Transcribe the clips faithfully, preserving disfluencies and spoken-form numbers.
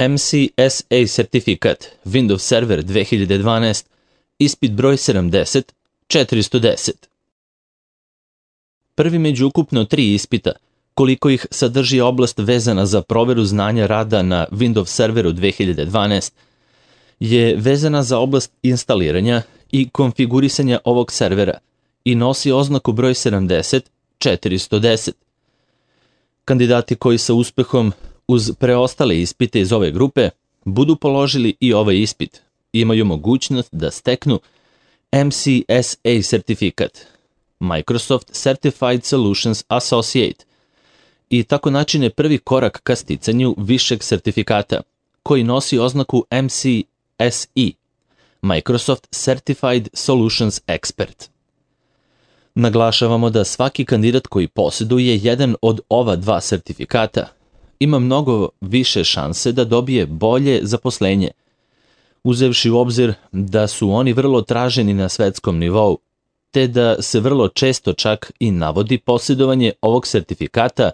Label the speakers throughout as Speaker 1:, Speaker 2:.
Speaker 1: M C S A sertifikat Windows Server dve hiljade dvanaest, ispit broj sedamdeset četiristo deset. Prvi među ukupno tri ispita, koliko ih sadrži oblast vezana za proveru znanja rada na Windows Serveru dve hiljade dvanaest, je vezana za oblast instaliranja i konfigurisanja ovog servera i nosi oznaku broj sedamdeset četiristo deset. Kandidati koji sa uspehom uz preostale ispite iz ove grupe budu položili i ovaj ispit, imaju mogućnost da steknu M C S A sertifikat, Microsoft Certified Solutions Associate, i tako načine prvi korak ka sticanju višeg sertifikata, koji nosi oznaku M C S E, Microsoft Certified Solutions Expert. Naglašavamo da svaki kandidat koji posjeduje jedan od ova dva sertifikata ima mnogo više šanse da dobije bolje zaposlenje, uzevši u obzir da su oni vrlo traženi na svetskom nivou, te da se vrlo često čak i navodi posjedovanje ovog sertifikata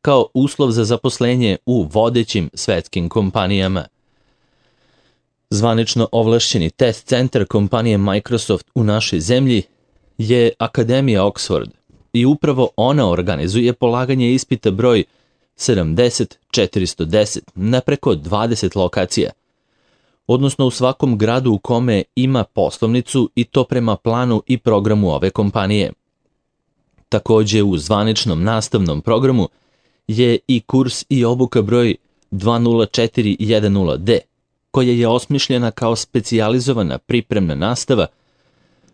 Speaker 1: kao uslov za zaposlenje u vodećim svetskim kompanijama. Zvanično ovlašćeni test centar kompanije Microsoft u našoj zemlji je Akademija Oxford i upravo ona organizuje polaganje ispita broj sedamdeset četiristo deset na preko dvadeset lokacija, odnosno u svakom gradu u kome ima poslovnicu, i to prema planu i programu ove kompanije. Takođe u zvaničnom nastavnom programu je i kurs i obuka broj dva nula četiri jedan nula D, koja je osmišljena kao specijalizovana pripremna nastava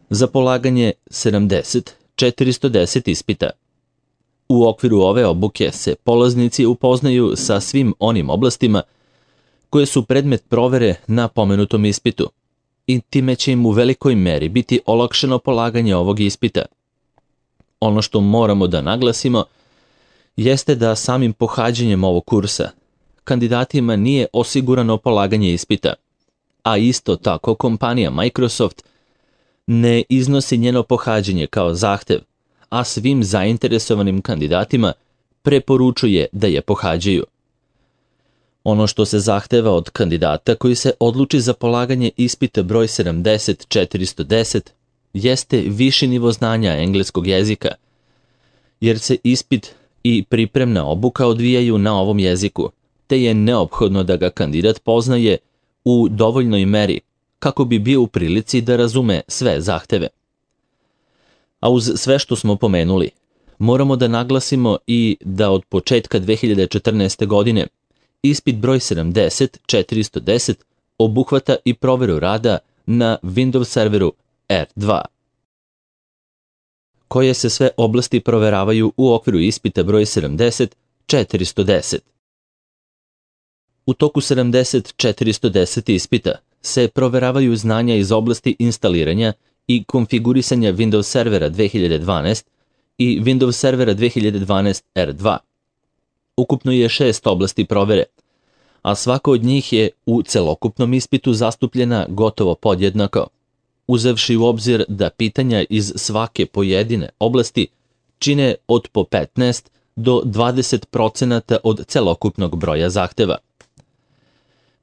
Speaker 1: za polaganje sedamdeset četiristo deset ispita. U okviru ove obuke se polaznici upoznaju sa svim onim oblastima koje su predmet provere na pomenutom ispitu, i time će im u velikoj meri biti olakšano polaganje ovog ispita. Ono što moramo da naglasimo jeste da samim pohađanjem ovog kursa kandidatima nije osigurano polaganje ispita, a isto tako kompanija Microsoft ne iznosi njeno pohađanje kao zahtev, a svim zainteresovanim kandidatima preporučuje da je pohađaju. Ono što se zahteva od kandidata koji se odluči za polaganje ispita broj sedamdeset četiristo deset jeste viši nivo znanja engleskog jezika, jer se ispit i pripremna obuka odvijaju na ovom jeziku, te je neophodno da ga kandidat poznaje u dovoljnoj meri kako bi bio u prilici da razume sve zahteve. A uz sve što smo pomenuli, moramo da naglasimo i da od početka dve hiljade četrnaeste. godine ispit broj sedamdeset četiristo deset obuhvata i proveru rada na Windows Serveru R dva. Koje se sve oblasti proveravaju u okviru ispita broj sedamdeset četiristo deset. U toku sedamdeset četiristo deset ispita se proveravaju znanja iz oblasti instaliranja i konfigurisanja Windows Servera dve hiljade dvanaest i Windows Servera dve hiljade dvanaest R dva. Ukupno je šest oblasti provere, a svaka od njih je u celokupnom ispitu zastupljena gotovo podjednako, uzevši u obzir da pitanja iz svake pojedine oblasti čine od po petnaest do dvadeset procenata od celokupnog broja zahteva.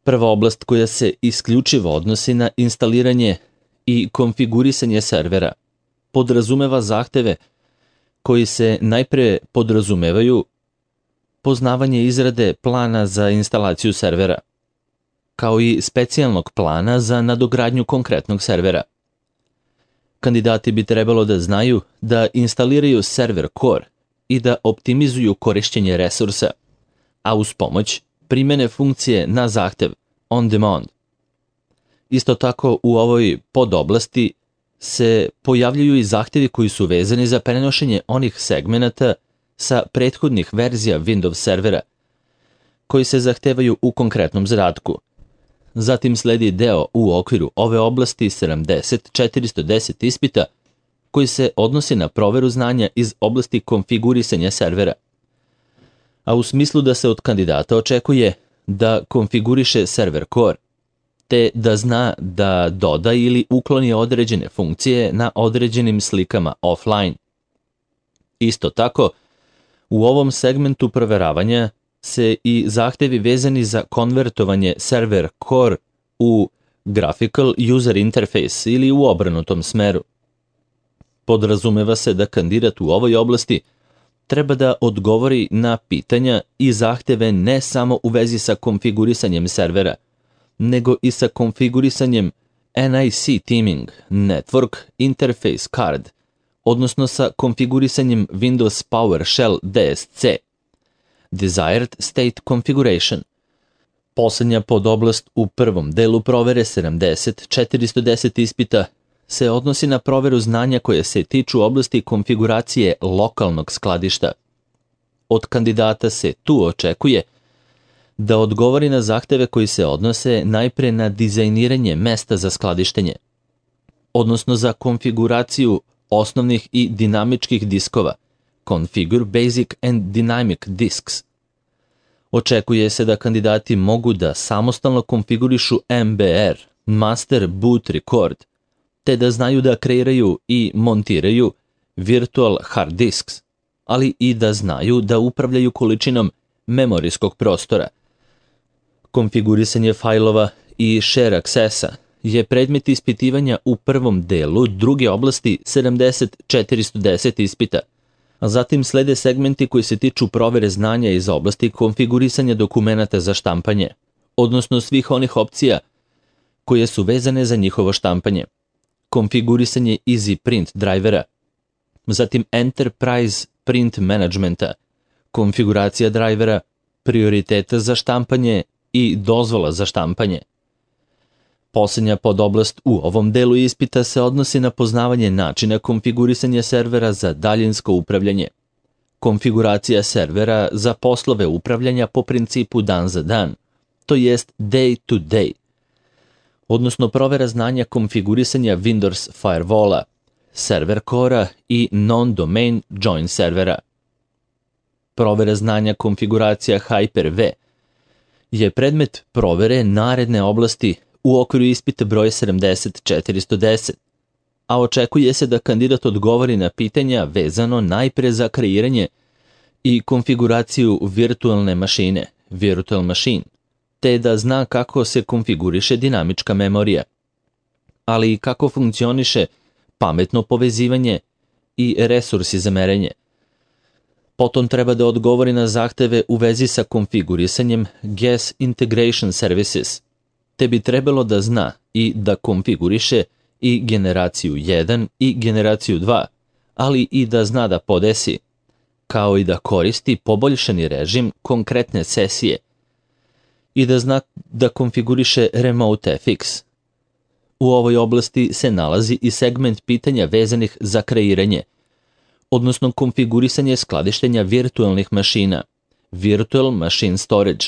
Speaker 1: Prva oblast koja se isključivo odnosi na instaliranje i konfigurisanje servera podrazumeva zahteve koji se najpre podrazumevaju poznavanje izrade plana za instalaciju servera, kao i specijalnog plana za nadogradnju konkretnog servera. Kandidati bi trebalo da znaju da instaliraju server core i da optimizuju korišćenje resursa, a uz pomoć primene funkcije na zahtev on demand. Isto tako u ovoj podoblasti se pojavljuju i zahtevi koji su vezani za prenošenje onih segmenata sa prethodnih verzija Windows servera koji se zahtevaju u konkretnom zadatku. Zatim sledi deo u okviru ove oblasti sedamdeset četiristo deset ispita koji se odnosi na proveru znanja iz oblasti konfigurisanja servera, a u smislu da se od kandidata očekuje da konfiguriše server core, te da zna da doda ili ukloni određene funkcije na određenim slikama offline. Isto tako, u ovom segmentu proveravanja se i zahtevi vezani za konvertovanje server core u graphical user interface ili u obrnutom smeru. Podrazumeva se da kandidat u ovoj oblasti treba da odgovori na pitanja i zahteve ne samo u vezi sa konfigurisanjem servera, nego i sa konfigurisanjem N I C teaming, Network Interface Card, odnosno sa konfigurisanjem Windows PowerShell D S C, Desired State Configuration. Poslednja podoblast u prvom delu provere sedamdeset četiristo deset ispita se odnosi na proveru znanja koje se tiču oblasti konfiguracije lokalnog skladišta. Od kandidata se tu očekuje da odgovori na zahteve koji se odnose najpre na dizajniranje mesta za skladištenje, odnosno za konfiguraciju osnovnih i dinamičkih diskova, Configure Basic and Dynamic Disks. Očekuje se da kandidati mogu da samostalno konfigurišu M B R, Master Boot Record, te da znaju da kreiraju i montiraju virtual hard disks, ali i da znaju da upravljaju količinom memorijskog prostora. Konfigurisanje fajlova i share accessa je predmet ispitivanja u prvom delu druge oblasti sedamdeset četiristo deset ispita, a zatim slede segmenti koji se tiču provere znanja iz oblasti konfigurisanja dokumenata za štampanje, odnosno svih onih opcija koje su vezane za njihovo štampanje, konfigurisanje Easy Print drivera, zatim Enterprise Print Managementa, konfiguracija drivera, prioriteta za štampanje i dozvola za štampanje. Poslednja podoblast u ovom delu ispita se odnosi na poznavanje načina konfigurisanja servera za daljinsko upravljanje, konfiguracija servera za poslove upravljanja po principu dan za dan, to jest day to day, odnosno provera znanja konfigurisanja Windows Firewalla, server core-a i non-domain join servera. Provera znanja konfiguracija Hyper-V je predmet provere naredne oblasti u okviru ispita broj sedamdeset četiristo deset, a očekuje se da kandidat odgovori na pitanja vezano najpre za kreiranje i konfiguraciju virtualne mašine, virtual machine, te da zna kako se konfiguriše dinamička memorija, ali i kako funkcioniše pametno povezivanje i resursi za merenje. Potom treba da odgovori na zahteve u vezi sa konfigurisanjem G A S Integration Services, te bi trebalo da zna i da konfiguriše i generaciju jedan i generaciju dva, ali i da zna da podesi, kao i da koristi poboljšani režim konkretne sesije i da zna da konfiguriše Remote F X. U ovoj oblasti se nalazi i segment pitanja vezanih za kreiranje, odnosno konfigurisanje skladištenja virtualnih mašina, Virtual Machine Storage,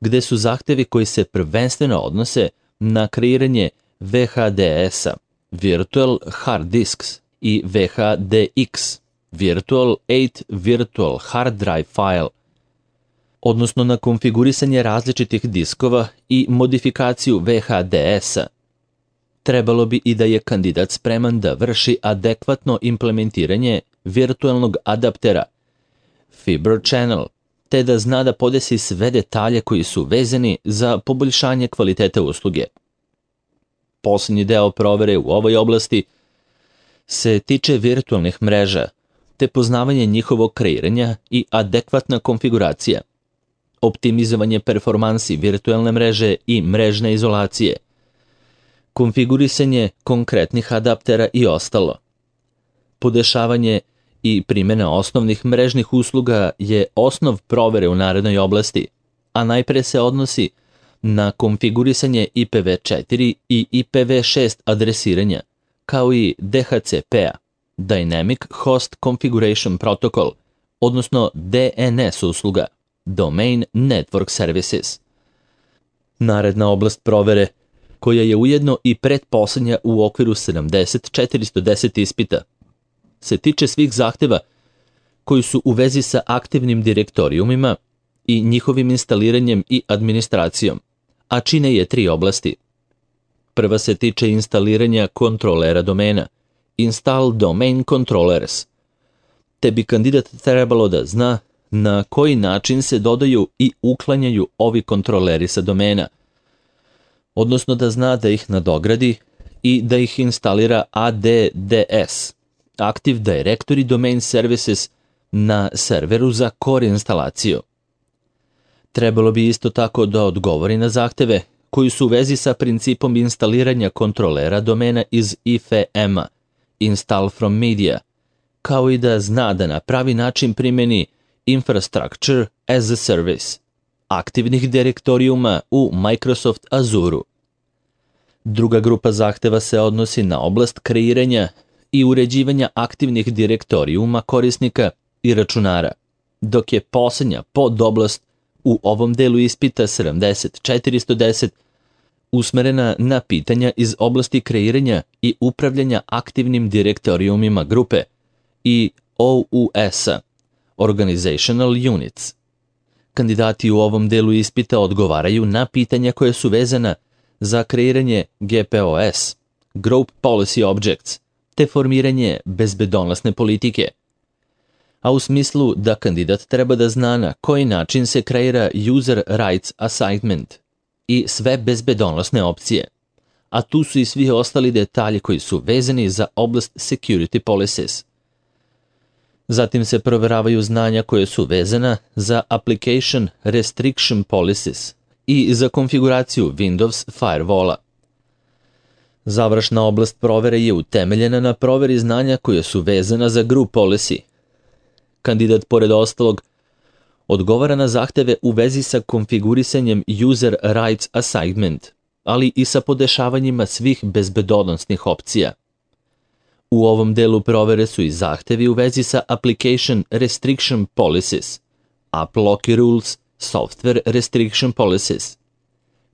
Speaker 1: gde su zahtevi koji se prvenstveno odnose na kreiranje V H D S-a, Virtual Hard Disks, i V H D X, Virtual osam Virtual Hard Drive File, odnosno na konfigurisanje različitih diskova i modifikaciju V H D S-a. Trebalo bi i da je kandidat spreman da vrši adekvatno implementiranje virtualnog adaptera, Fiber Channel, te da zna da podesi sve detalje koji su vezani za poboljšanje kvaliteta usluge. Poslednji deo provere u ovoj oblasti se tiče virtualnih mreža, te poznavanje njihovog kreiranja i adekvatna konfiguracija, optimizovanje performansi virtualne mreže i mrežne izolacije, konfigurisanje konkretnih adaptera i ostalo. Podešavanje i primjena osnovnih mrežnih usluga je osnov provere u narednoj oblasti, a najpre se odnosi na konfigurisanje I P v četiri i I P v šest adresiranja, kao i D H C P-a, Dynamic Host Configuration Protocol, odnosno D N S usluga, Domain Network Services. Naredna oblast provere, koja je ujedno i pretposlednja u okviru sedamdeset četiristo deset ispita, se tiče svih zahteva koji su u vezi sa aktivnim direktorijumima i njihovim instaliranjem i administracijom, a čine je tri oblasti. Prva se tiče instaliranja kontrolera domena, Install Domain Controllers, te bi kandidat trebalo da zna na koji način se dodaju i uklanjaju ovi kontroleri sa domena, odnosno da zna da ih nadogradi i da ih instalira A D D S, Active Directory Domain Services, na serveru za core instalaciju. Trebalo bi isto tako da odgovori na zahteve koji su u vezi sa principom instaliranja kontrolera domena iz I F E M-a, Install from Media, kao i da zna da na pravi način primeni Infrastructure as a Service, aktivnih direktorijuma u Microsoft Azure-u. Druga grupa zahteva se odnosi na oblast kreiranja i uređivanja aktivnih direktorijuma korisnika i računara, dok je posljednja podoblast u ovom delu ispita sedamdeset četiristo deset usmerena na pitanja iz oblasti kreiranja i upravljanja aktivnim direktorijumima grupe i O U S-a, Organizational Units. Kandidati u ovom delu ispita odgovaraju na pitanja koje su vezana za kreiranje G P O S, Group Policy Objects, te formiranje bezbedonosne politike, a u smislu da kandidat treba da zna na koji način se kreira User Rights Assignment i sve bezbedonosne opcije, a tu su i svi ostali detalji koji su vezani za oblast Security Policies. Zatim se proveravaju znanja koje su vezana za Application Restriction Policies i za konfiguraciju Windows Firewalla. Završna oblast provere je utemeljena na proveri znanja koje su vezana za Group Policy. Kandidat, pored ostalog, odgovara na zahteve u vezi sa konfigurisanjem User Rights Assignment, ali i sa podešavanjima svih bezbedonosnih opcija. U ovom delu provere su i zahtevi u vezi sa Application Restriction Policies, App Lock Rules, Software Restriction Policies.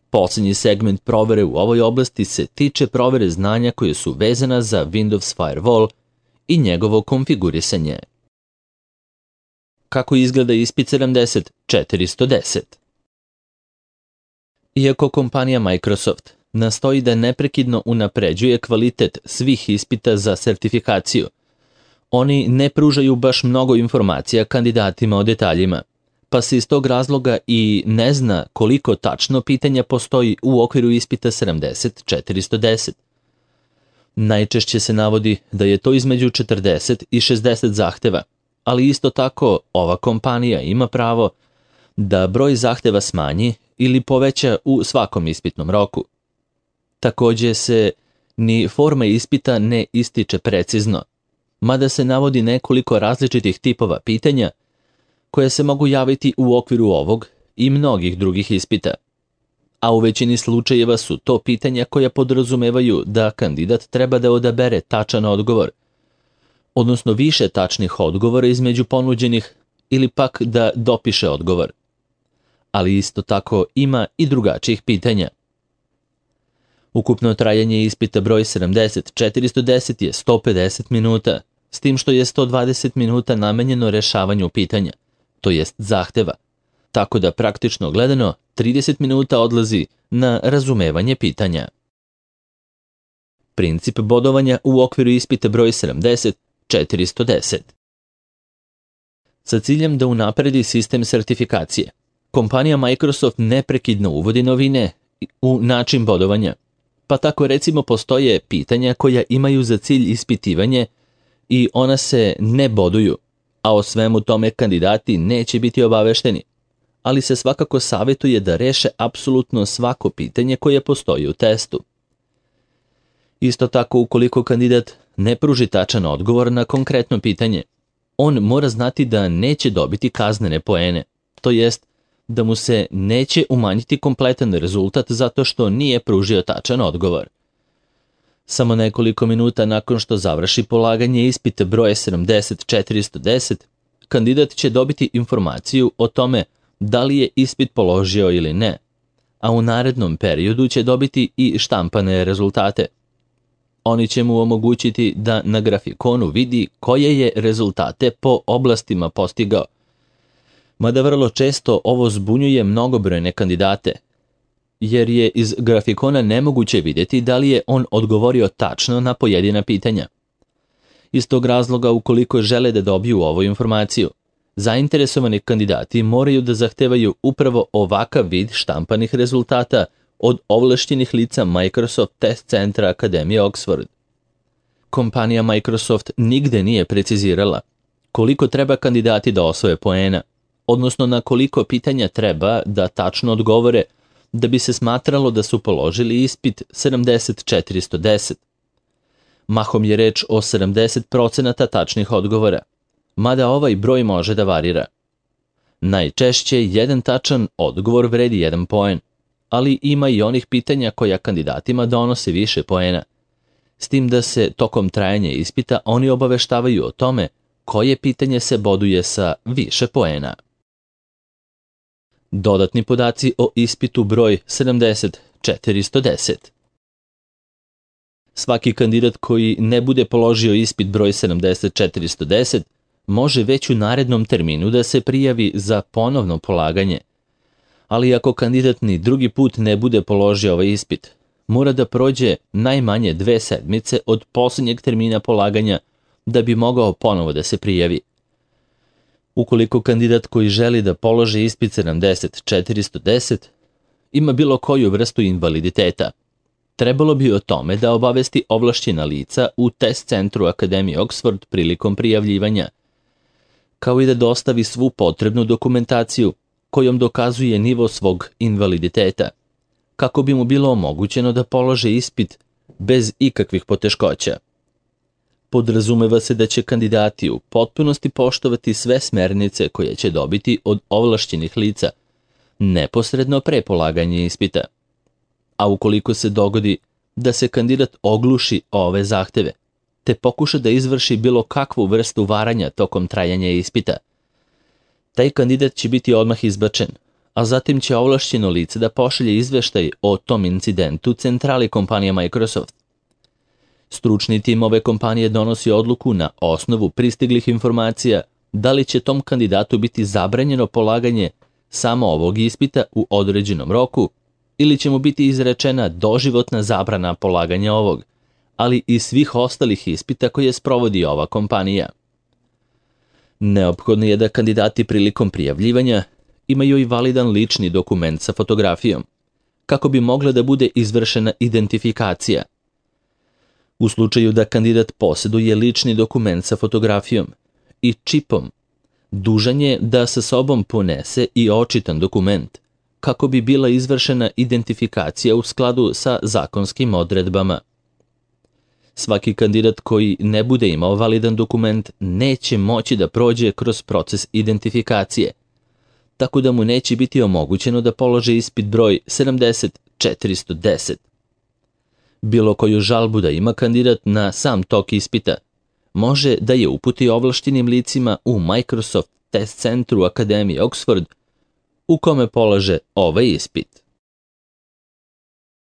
Speaker 1: Posljednji segment provere u ovoj oblasti se tiče provere znanja koje su vezana za Windows Firewall i njegovo konfigurisanje. Kako izgleda ispit sedamdeset četiristo deset? Iako kompanija Microsoft nastoji da neprekidno unapređuje kvalitet svih ispita za sertifikaciju, oni ne pružaju baš mnogo informacija kandidatima o detaljima, pa se iz tog razloga i ne zna koliko tačno pitanja postoji u okviru ispita sedamdeset četiristo deset. Najčešće se navodi da je to između četrdeset i šezdeset zahteva, ali isto tako ova kompanija ima pravo da broj zahteva smanji ili poveća u svakom ispitnom roku. Također se ni forma ispita ne ističe precizno, mada se navodi nekoliko različitih tipova pitanja koje se mogu javiti u okviru ovog i mnogih drugih ispita. A u većini slučajeva su to pitanja koja podrazumevaju da kandidat treba da odabere tačan odgovor, odnosno više tačnih odgovora između ponuđenih ili pak da dopiše odgovor. Ali isto tako ima i drugačijih pitanja. Ukupno trajanje ispita broj sedamdeset četiristo deset je sto pedeset minuta, s tim što je sto dvadeset minuta namenjeno rešavanju pitanja, to jest zahteva, tako da praktično gledano trideset minuta odlazi na razumevanje pitanja. Princip bodovanja u okviru ispita broj sedamdeset četiristo deset. Sa ciljem da unapredi sistem sertifikacije, kompanija Microsoft neprekidno uvodi novine u način bodovanja, pa tako recimo postoje pitanja koja imaju za cilj ispitivanje i ona se ne boduju, a o svemu tome kandidati neće biti obavešteni, ali se svakako savjetuje da reše apsolutno svako pitanje koje postoji u testu. Isto tako, ukoliko kandidat ne pruži tačan odgovor na konkretno pitanje, on mora znati da neće dobiti kaznene poene, to jest da mu se neće umanjiti kompletan rezultat zato što nije pružio tačan odgovor. Samo nekoliko minuta nakon što završi polaganje ispita broje sedamdeset četiristo deset, kandidat će dobiti informaciju o tome da li je ispit položio ili ne, a u narednom periodu će dobiti i štampane rezultate. Oni će mu omogućiti da na grafikonu vidi koje je rezultate po oblastima postigao. Mada vrlo često ovo zbunjuje mnogobrojne kandidate, jer je iz grafikona nemoguće vidjeti da li je on odgovorio tačno na pojedina pitanja. Iz tog razloga, ukoliko žele da dobiju ovu informaciju, zainteresovani kandidati moraju da zahtevaju upravo ovakav vid štampanih rezultata od ovlašćenih lica Microsoft Test Centra Akademije Oxford. Kompanija Microsoft nigde nije precizirala koliko treba kandidati da osvoje poena, odnosno na koliko pitanja treba da tačno odgovore da bi se smatralo da su položili ispit sedamdeset četiristo deset. Mahom je reč o sedamdeset procenata tačnih odgovora, mada ovaj broj može da varira. Najčešće jedan tačan odgovor vredi jedan poen, ali ima i onih pitanja koja kandidatima donose više poena, s tim da se tokom trajanja ispita oni obaveštavaju o tome koje pitanje se boduje sa više poena. Dodatni podaci o ispitu broj sedamdeset četiristo deset. Svaki kandidat koji ne bude položio ispit broj sedamdeset četiristo deset može već u narednom terminu da se prijavi za ponovno polaganje, ali ako kandidat ni drugi put ne bude položio ovaj ispit, mora da prođe najmanje dve sedmice od posljednjeg termina polaganja da bi mogao ponovo da se prijavi. Ukoliko kandidat koji želi da položi ispit sedamdeset četiristo deset ima bilo koju vrstu invaliditeta, trebalo bi o tome da obavesti ovlašćena lica u test centru Akademije Oxford prilikom prijavljivanja, kao i da dostavi svu potrebnu dokumentaciju kojom dokazuje nivo svog invaliditeta, kako bi mu bilo omogućeno da položi ispit bez ikakvih poteškoća. Podrazumeva se da će kandidati u potpunosti poštovati sve smernice koje će dobiti od ovlašćenih lica neposredno pre polaganja ispita. A ukoliko se dogodi da se kandidat ogluši ove zahteve, te pokuša da izvrši bilo kakvu vrstu varanja tokom trajanja ispita, taj kandidat će biti odmah izbačen, a zatim će ovlašćeno lice da pošalje izveštaj o tom incidentu centrali kompanije Microsoft. Stručni tim ove kompanije donosi odluku na osnovu pristiglih informacija da li će tom kandidatu biti zabranjeno polaganje samo ovog ispita u određenom roku ili će mu biti izrečena doživotna zabrana polaganja ovog, ali i svih ostalih ispita koje sprovodi ova kompanija. Neophodno je da kandidati prilikom prijavljivanja imaju i validan lični dokument sa fotografijom, kako bi mogla da bude izvršena identifikacija. U slučaju da kandidat posjeduje lični dokument sa fotografijom i čipom, dužan je da sa sobom ponese i očitan dokument, kako bi bila izvršena identifikacija u skladu sa zakonskim odredbama. Svaki kandidat koji ne bude imao validan dokument neće moći da prođe kroz proces identifikacije, tako da mu neće biti omogućeno da položi ispit broj sedamdeset četiristo deset. Bilo koju žalbu da ima kandidat na sam tok ispita, može da je uputi ovlaštenim licima u Microsoft Test Centru Akademije Oxford, u kome polaže ovaj ispit.